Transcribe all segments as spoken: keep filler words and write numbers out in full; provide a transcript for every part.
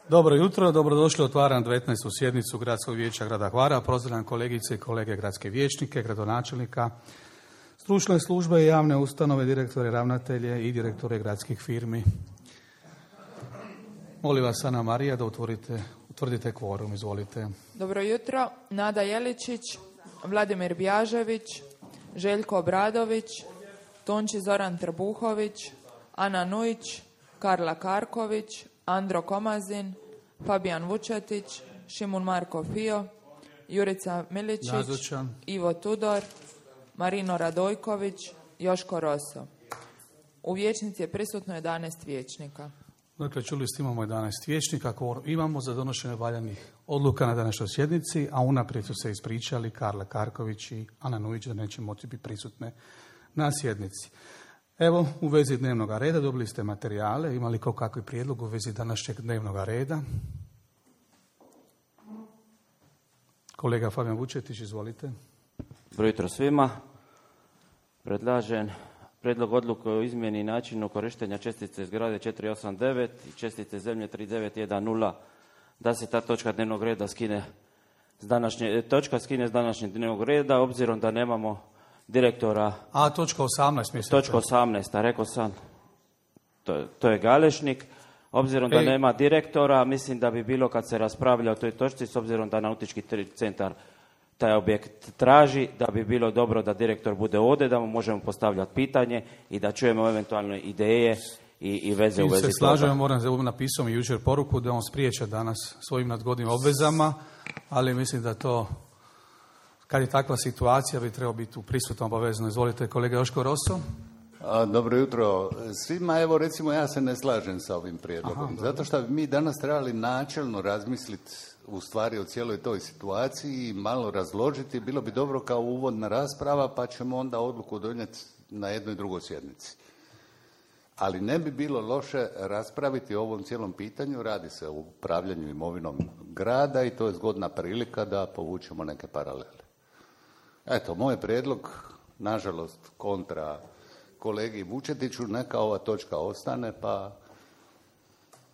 Dobro jutro, dobrodošli, otvaram devetnaestu sjednicu Gradskog vijeća grada Hvara. Pozdravljam kolegice i kolege gradske vijećnike, gradonačelnika, stručne službe i javne ustanove, direktore, ravnatelje i direktore gradskih firmi. Molim vas, Ana Marija, da utvorite, utvrdite kvorum, izvolite. Dobro jutro, Nada Jeličić, Vladimir Bjažević, Željko Obradović, Tonči Zoran Trbuhović, Ana Nujić, Karla Karković, Andro Komazin, Fabijan Vučetić, Šimun Marko Fio, Jurica Miličić, Nazočan. Ivo Tudor, Marino Radojković, Joško Roso. U vijećnici je prisutno jedanaest vijećnika. Dakle, čuli ste, imamo jedanaest vijećnika, kvorum imamo za donošenje valjanih odluka na današnjoj sjednici, a unaprijed su se ispričali Karla Karković i Ana Nujić da neće moći biti prisutne na sjednici. Evo, u vezi dnevnog reda dobili ste materijale. Ima li ko kakvi prijedlog u vezi današnjeg dnevnog reda? Kolega Fabijan Vučetić, izvolite. Dobro jutro svima. Predlažem prijedlog odluke o izmjeni i načinu korištenja čestice zgrade četiri osam devet i čestice zemlje tri devet jedan nula, da se ta točka dnevnog reda skine s današnje, točka skine s današnjeg dnevnog reda, obzirom da nemamo direktora. A, točka osamnaest, mislite? Točka osamnaest, a rekao sam, to, to je Galešnik. Obzirom da Ej. nema direktora, mislim da bi bilo kad se raspravlja o toj točci, s obzirom da nautički centar taj objekt traži, da bi bilo dobro da direktor bude ovdje, da mu možemo postavljati pitanje i da čujemo eventualne ideje i, i veze u Mi vezi se toga. slažemo, moram se napisao mi jučer poruku da on spriječe danas svojim nadgodnim obvezama, ali mislim da to, kad je takva situacija, bi trebao biti prisutno obavezno. Izvolite, kolega Joško Roso. A, dobro jutro svima. Evo, recimo, ja se ne slažem sa ovim prijedlogom. Aha, zato što bi mi danas trebali načelno razmisliti u stvari o cijeloj toj situaciji i malo razložiti. Bilo bi dobro kao uvodna rasprava, pa ćemo onda odluku donijeti na jednoj i drugoj sjednici. Ali ne bi bilo loše raspraviti o ovom cijelom pitanju. Radi se o upravljanju imovinom grada i to je zgodna prilika da povučemo neke paralele. Eto, moj prijedlog, nažalost, kontra kolegi Vučetiću, neka ova točka ostane, pa...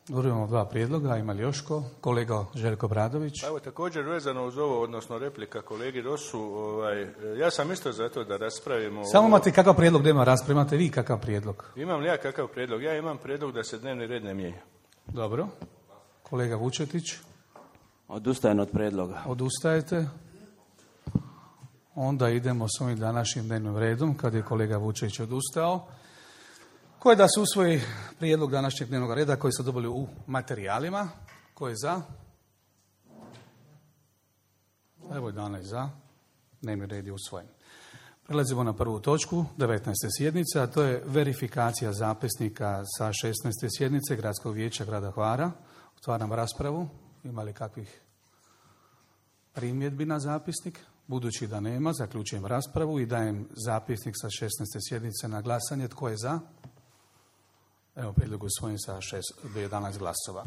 Dobro, imamo dva prijedloga, ima li još ko? Kolega Željko Obradović. Pa evo, također vezano uz ovo, odnosno replika kolegi Rosu, ovaj, ja sam isto za to da raspravimo... Samo ovo. imate kakav prijedlog da ima rasprava, imate vi kakav prijedlog? Imam li ja kakav prijedlog? Ja imam prijedlog da se dnevni red ne mijenja. Dobro. Kolega Vučetić. Odustajem od prijedloga. Odustajete? Onda idemo s ovim današnjim dnevnim redom, kad je kolega Vučević odustao. Ko je da se usvoji prijedlog današnjeg dnevnog reda koji su dobili u materijalima? Ko je za? Evo jedanaest za. Dnevni red je usvojen. Prelazimo na prvu točku devetnaeste sjednice, a to je verifikacija zapisnika sa šesnaeste sjednice Gradskog vijeća grada Hvara. Otvaram raspravu. Ima li kakvih primjedbi na zapisnik? Budući da nema, zaključujem raspravu i dajem zapisnik sa šesnaeste sjednice na glasanje. Tko je za? Evo, prijedlog usvojen sa jedanaest glasova.